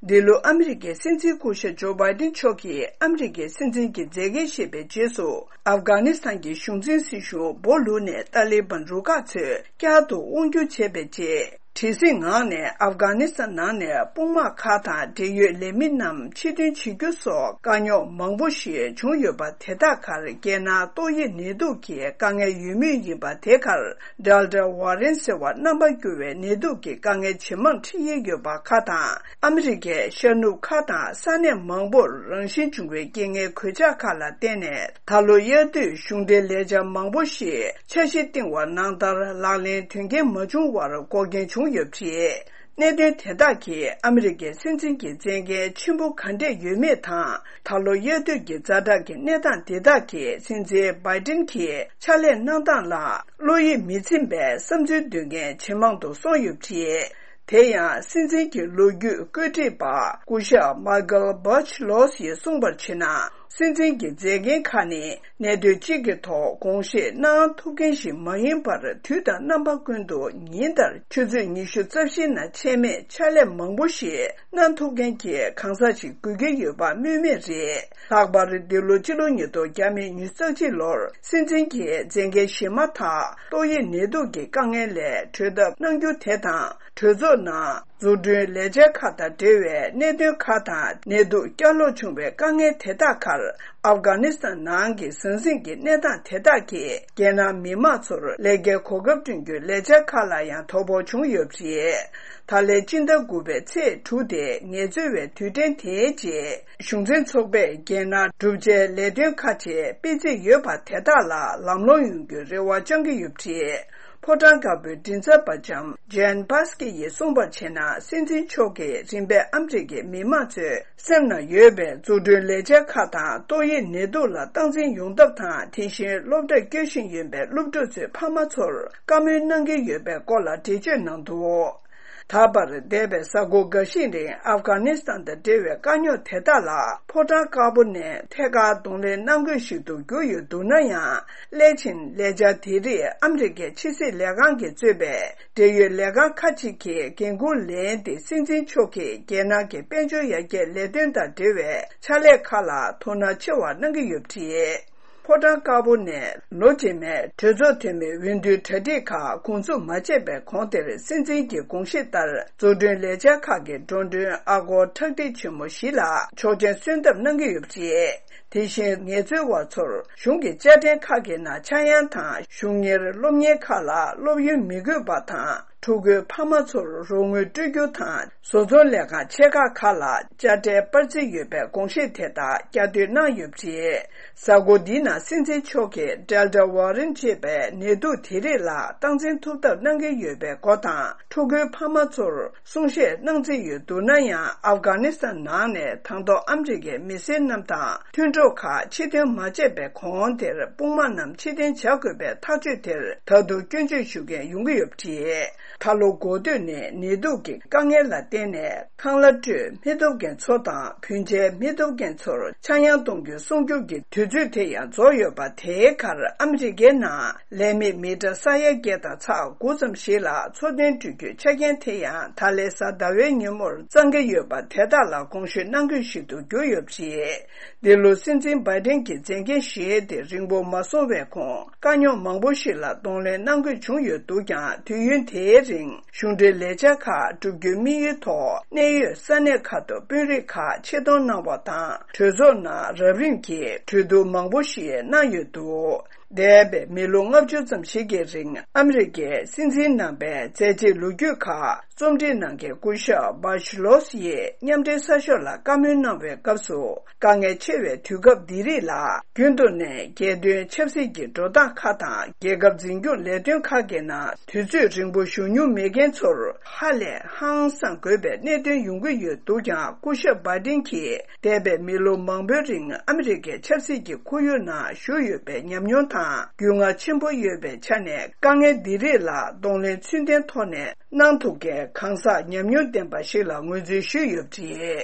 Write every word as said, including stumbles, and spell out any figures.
འདི་ལོ་ཨ་མི་རི་ཀའི་སྲིད་འཛིན་སྐུ་ཞབས་ཇོ་བྷའི་ཏིན་མཆོག་གིས་ཨ་མི་རི་ཀའི་སྲིད་འཛིན་གྱི་མཛད་འགན་བཞེས་པའི་རྗེས་སུ། ཨབ་གྷ་ནི་སི་ཐན་གྱི་གཞུང་འཛིན་སྲིད་གཞུང་སྦོ་ལུག་ནས་ཏཱ་ལི་བན་རུ་ཁག་ཚོས་བསྐྱར་དུ་དབང་སྒྱུར་བྱས་པའི་རྗེས། བྲེལ་ཟིང་ངང་ནས་ཨབ་གྷ་ནི་སི་ཐན་ནང་ནས་དཔུང་དམག་ཁག་དང་འབྲེལ་ཡོད་ལས་མི་རྣམས་ཕྱིར་འཐེན་བྱེད་རྒྱུ་སོགས་དཀའ་རྙོག་མང་པོ་ཞིག་བྱུང་ཡོད་པ། དེ་དག་ཁར་རྒྱལ་ནང་ཏོག་དབྱིབས་ནད་དུག་གི་དཀའ་ངལ་ཡོད་མུས་ཡིན་པ། དེ་ཁར་Delta variant ཟེར་བ་རྣམ་པ་འགྱུར་བའི་ནད་དུག་གི་དཀའ་ངལ་ཇེ་མང་འཕྲད་ཡས་ཡོད་པ་ཁག་དང་། ཨ་མི་རི་ཀའི་ཤར་ནུབ་ཁག་དང་ས་གནས་མང་པོར་རང་བཞིན་བྱུང་བའི་རྐྱེན་ངན་གོད་ཆག་ཁག་ལ་བརྟེན་ནས། ད་ལོ་དབྱར་དུས་གཞུང་འབྲེལ་ལས་འཆར་མང་པོ་ཞིག་འཆར་གཞི་བཏིང་བ་ནང་ལྟར་ལག་ལེན་དོན་རྐྱེན་མ་བྱུང་བར་འགོག་རྐྱེན་བྱུང་ཡོད་པ་རེད། གནད་དོན་དེ་དག་གིས་ཨ་མི་རི་ཀའི་སྲིད་འཛིན་གྱི་མཛད་འགན་ཆེན་པོ་ག་འདྲས་ཡོད་མེད་དང་། ད་ལོ་དབྱར་དུས་ཀྱི་ཛ་དྲག་གི་གནས་སྟངས་དེ་དག་གིས་སྲིད་འཛིན་བྷའི་ཏིན་གྱི་ཕྱག་ལས་གནང་སྟངས་ལ་བློ་ཡིད་མི་ཚིམ་པའི་བསམ་ཚུལ་འདོན་མཁན་ཇེ་མང་དུ་སོང་ཡོད་པ་རེད། དེ་ཡང་སྲིད་འཛིན་གྱི་ལོ་རྒྱུས་བཀོད་སྒྲིག་པ་སྐུ་ཞབས་མཱི་ཀལ་བྷ་ཆི་ལོ་སི་ཡིས་གསུངས་པར་བྱས་ན། སྲིད་འཛིན་གྱི་མཛད་འགན་ཁག་ནི་གནད་དོན་གཅིག་གི་ཐོག་དགོངས་བཞེས་གནང་ཐུབ་མཁན་ཞིག་མ་ཡིན་པར། དུས་དང་རྣམ་པ་ཀུན་ཏུ་ཉིན་ལྟར་ཆུ་ཚོད་ཉི་ཤུ་རྩ་བཞིའི་ནང་ཆད་མེད་ཕྱག་ལས་མང་པོ་ཞིག་གནང་ཐུབ་མཁན་གྱི་གང་ཟག་ཞིག་དགོས་ཀྱི་ཡོད་པ་སྨོས་མེད་རེད། ལྷག་པར་འདི་ལོ་སྤྱི་ལོ་ཉིས་སྟོང་ཉི་ཤུ་རྩ་གཅིག་ལོར་སྲིད་འཛིན་གྱི་མཛད་འགན་བཞེས་མ་ཐག་ཏོག་དབྱིབས་ནད་དུག་གི་དཀའ་ངལ་ལས་གྲོལ་ཐབས་གནང་རྒྱུ་དེ་དང་། གྲོས་ཚོགས་ནང་འཛུགས་སྐྲུན་ལས་འཆར་ཁག་དང་འབྲེལ་བའི་གནད་དོན་ཁག་དང་། ནད་དུག་བསྐྱར་ལོག་བྱུང་བའི་དཀའ་ངལ་དེ་དག་ཁར། ཨབ་གྷ་ནི་སི་ཐན་ནང་གི་ཟང་ཟིང་གི་གནས་སྟངས་དེ་དག་གིས་རྒྱལ་ནང་མི་མང་ཚོར་ལས་ཀའི་གོ་སྐབས་བསྐྲུན་རྒྱུའི་ལས་འཆར་ཁག་ལ་ཡང་དོ་ཕོག་བྱུང་ཡོད་པ་རེད། ད་ལན་སྤྱི་ཟླ་དགུ་པའི་ཚེས་དྲུག་སྟེ་ངལ་རྩོལ་བའི་དུས་དྲན་དེའི་རྗེས། གཞུང་འཛིན་ཚོགས་པས་རྒྱལ་ནང་བསྒྲུབ་བྱའི་ལས་དོན་ཁག་ཅིག་སྤེལ་རྩིས་ཡོད་པ་དེ་དག་ལ་ལམ་ལྷོང་ཡོང་རྒྱུའི་རེ་བ་བཅང་གི་ཡོད་པ་རེད། ཕོ་བྲང་དཀར་པོའི་མགྲིན་ཚབ་པ་ལྕམ་ཇེན་པཱ་སི་ཀི་ཡིས་གསུངས་པར་བྱས་ན། སྲིད་འཛིན་མཆོག་གིས་རིམ་པས་ཨ་མི་རི་ཀའི་མི་མང་ཚོའི་སེམས་ནང་ཡོད་པའི་འཛུགས་སྐྲུན་ལས་འཆར་ཁག་དང་། ཏོག་དབྱིབས་ནད་དུག་ལ་སྟངས་འཛིན་ཡོང་ཐབས་དང་། དེ་བཞིན་སློབ་གྲྭར་བསྐྱོད་བཞིན་ཡོད་པའི་སློབ་ཕྲུག་ཚོའི་ཕ་མ་ཚོར་བཀའ་མོལ་གནང་གི་ཡོད་པའི་སྐོར་ལ་འགྲེལ་བརྗོད་གནང་འདུག་ད་བར་འདས་པའི་གཟའ་འཁོར་འགའ་ཤས་རིང་ཨབ་གྷ་ནི་སི་ཐན་དང་འབྲེལ་བའི་དཀའ་རྙོག་དེ་དག་ལ་ཕོ་བྲང་དཀར་པོ་ནས་ཐད་ཀར་གདོང་ལེན་གནང་དགོས་ཤིག་ཏུ་གྱུར་ཡོད་འདུག་ན་ཡང་། སླད་ཕྱིན་ལས་འཆར་དེ་རིགས་ཨ་མི་རི་ཀའི་ཕྱི་སྲིད་ལས་ཁང་གིས་གཙོས་པའི་འབྲེལ་ཡོད་ལས་ཁང་ཁག་ཅིག་གིས་འགན་འཁུར་ལེན་ཏེ། སྲིད་འཛིན་མཆོག་གིས་རྒྱལ་ནང་གི་དཔལ་འབྱོར་ཡར་རྒྱས་ལས་དོན་དང་འབྲེལ་བའི་ཕྱག་ལས་ཁག་ལ་དོ་སྣང་ཆེ་བ་གནང་གི་ཡོད་པ་རེད། ཕོ་བྲང་དཀར་པོ་ནས་ལོ་རྗེས་མའི་གྲོས་ཚོགས་འཐུས་མིའི་འོས་བསྡུའི་གྲ་སྒྲིག་ཁག་འགོ་འཛུགས་མ་བྱས་པའི་གོང་དེར། སྲིད་འཛིན་གྱི་དགོངས་གཞི་ལྟར་འཛུགས་སྐྲུན་ལས་འཆར་ཁག་གི་འགྲོ་གྲོན་ཨ་སྒོར་ཁྲག་ཁྲིག་ཆེན་མོ་བཞི་ལ་ཆོག་མཆན་སོན་ཐབས་གནང་གི་ཡོད་པ་རེད། དེ་བཞིན་ངལ་རྩོལ་བ་ཚོར་གཞུང་གི་དཔྱ་ཁྲལ་ཁག་གི་ནང་ཆག་ཡང་དང་། གཞུང་གཉེར་སློབ་གཉེར་ཁག་ལ་སློབ་ཡོན་མི་དགོས་པ་དང་། ཕྲུ་གུའི་ཕ་མ་ཚོར་རོགས་དངུལ་སྤྲོད་རྒྱུ་དང་། བཟོ་ཚོང་ལས་ཁང་ཆེ་ཁག་ཁག་ལ་དཔྱ་ཁྲལ་སྤར་རྩིས་ཡོད་པའི་དགོངས་བཞེད་དེ་དག་བསྐྱར་ཟློས་གནང་ཡོད་པ་རེད། གཟའ་འཁོར་འདིའི་ནང་སྲིད་འཛིན་མཆོག་གིས་Delta variant ཅེས་པའི་ནད་དུག་དེ་རིགས་ལ་སྟངས་འཛིན་ཐུབ་ཐབས་གནང་གི་ཡོད་པའི་སྐོར་དང་། ཕྲུ་གུའི་ཕ་མ་ཚོར་གསུང་བཤད་གནང་རྩིས་ཡོད་འདུག་ན་ཡང་། ཨབ་གྷ་ནི་སི་ཐན་ནང་ནས་དང་ཐོག་ཨ་མི་རི་ཀའི་མི་སེར་རྣམས་དང་མཐུན་གྲོགས་ཁག་ཕྱིར་འཐེན་མ་བྱས་པའི་གོང་དེར། དཔུང་དམག་རྣམས་ཕྱིར་འཐེན་བྱ་དགོས་པའི་ཐག་གཅོད་དེར་ད་དུང་སྐྱོན་བརྗོད་ཞུ་མཁན་ཡོང་གི་ཡོད་པ་རེད། ད་ལོ་འགོ་སྟོད་ནས་ནད་དུག་གི་དཀའ་ངལ་ལ་བརྟེན་ནས། ཁང་གླ་སྤྲོད་མི་ཐུབ་མཁན་ཚོ་དང་། བུན་འཇལ་མི་ཐུབ་མཁན་ཚོར་ཆག་ཡང་གཏོང་རྒྱུའི་གསུང་སྒྱུར་གྱི་དུས་ཚོད་དེ་ཡང་རྫོགས་ཡོད་པ། དེའི་ཁར་ཨ་མི་རི་ཀའི་ནང་ལས་མེད་མི་གྲངས་ས་ཡ་བརྒྱད་དང་ཚེག་དགུ་ཙམ་ཞིག་ལ་འཚོ་རྟེན་སྤྲོད་རྒྱུའི་ཆ་རྐྱེན་དེ་ཡང་ད་ལན་གཟའ་ཟླ་བའི་ཉིན་མོར་གཙང་གི་ཡོད་པ། དེ་དག་ལ་དགོངས་ཞུ་གནང་དགོས་ཤིག་ཏུ་གྱུར་ཡོད་པ་རེད། འདི་ལོ་སྲིད་འཛིན་བྷའི་ཏིན་གྱི་མཛད་འགན་བཞེས་ཏེ་རིང་པོ་མ་སོང་བའི་གོང་། དཀའ་རྙོག་མང་པོ་ཞིག་ལ་གདོང་ལེན་གནང་དགོས་བྱུང་ཡོད་འདུག་ཀྱང་། དུས་ཡུན་དེའི་རིང་གཞུང་འབྲེལ་ལས་འཆར་ཁག་བསྒྲུབ་རྒྱུའི་དམིགས་ཡུལ་ཐོག་གནད་ཡོད་ས་གནས་ཁག་ཏུ་དཔོན་རིགས་ཁག་ཆེད་གཏོང་གནང་བ་དང་། གྲོས་ཚོགས་ནང་རབ་རིམ་གྱིས་གྲོས་བསྡུར་མང་པོ་ཞིག་གནང་ཡོད་འདུག་འདས་པའི་མི་ལོ་ལྔ་བཅུ་ཙམ་ཞིག་གི་རིང་ཨ་མི་རི་ཀའི་སྲིད་འཛིན་རྣམ་པའི་མཛད་རྗེས་ལོ་རྒྱུས་ཁག་རྩོམ་སྒྲིག་གནང་མཁན་སྐུ་ཞབས་བྷ་ཤི་ལོ་སི་ཡིས་མཉམ་འབྲེལ་གསར་ཤོག་ལ་བཀའ་མོལ་གནང་བའི་སྐབས་སུ། དཀའ་ངལ་ཆེ་བའི་དུས་སྐབས་འདི་རིགས་ལ་རྒྱུན་དུ་ནས་རྒྱལ་དོན་ཆབ་སྲིད་ཀྱི་འགྲོ་སྟངས་ཁག་དང་། རྒྱལ་ཁབ་འཛིན་སྐྱོང་ལས་དོན་ཁག་གི་ནང་དུས་ཚོད་རིང་པོ་བཞུགས་མྱོང་མེད་མཁན་ཚོར་ཧ་ལས་ཧང་སངས་དགོས་པའི་གནད་དོན་ཡོང་གི་ཡོད་འདུག་ཀྱང་། སྐུ་ཞབས་བྷའི་ཏིན་གྱིས་འདས་པའི་མི་ལོ་མང་པོའི་རིང་ཨ་མི་རི་ཀའི་ཆབ་སྲིད་ཀྱི་ཁོར་ཡུག་ནང་བཞུགས་ཡོད་པའི་ཉམས་མྱོང་དང་རྒྱུས་མངའ་ཆེན་པོ་ཡོད་པའི་ཆ་ནས། དཀའ་ངལ་འདི་རིགས་ལ་གདོང་ལེན་ཚུལ་ལྡན་ཐོག་ནས་གནང་ཐུབ་མཁན་གང་ཟག་ཉམས་མྱོང་ལྡན་པ་ཞིག་ལ་ངོས་འཛིན་ཞུས་ཡོད་པ་རེད།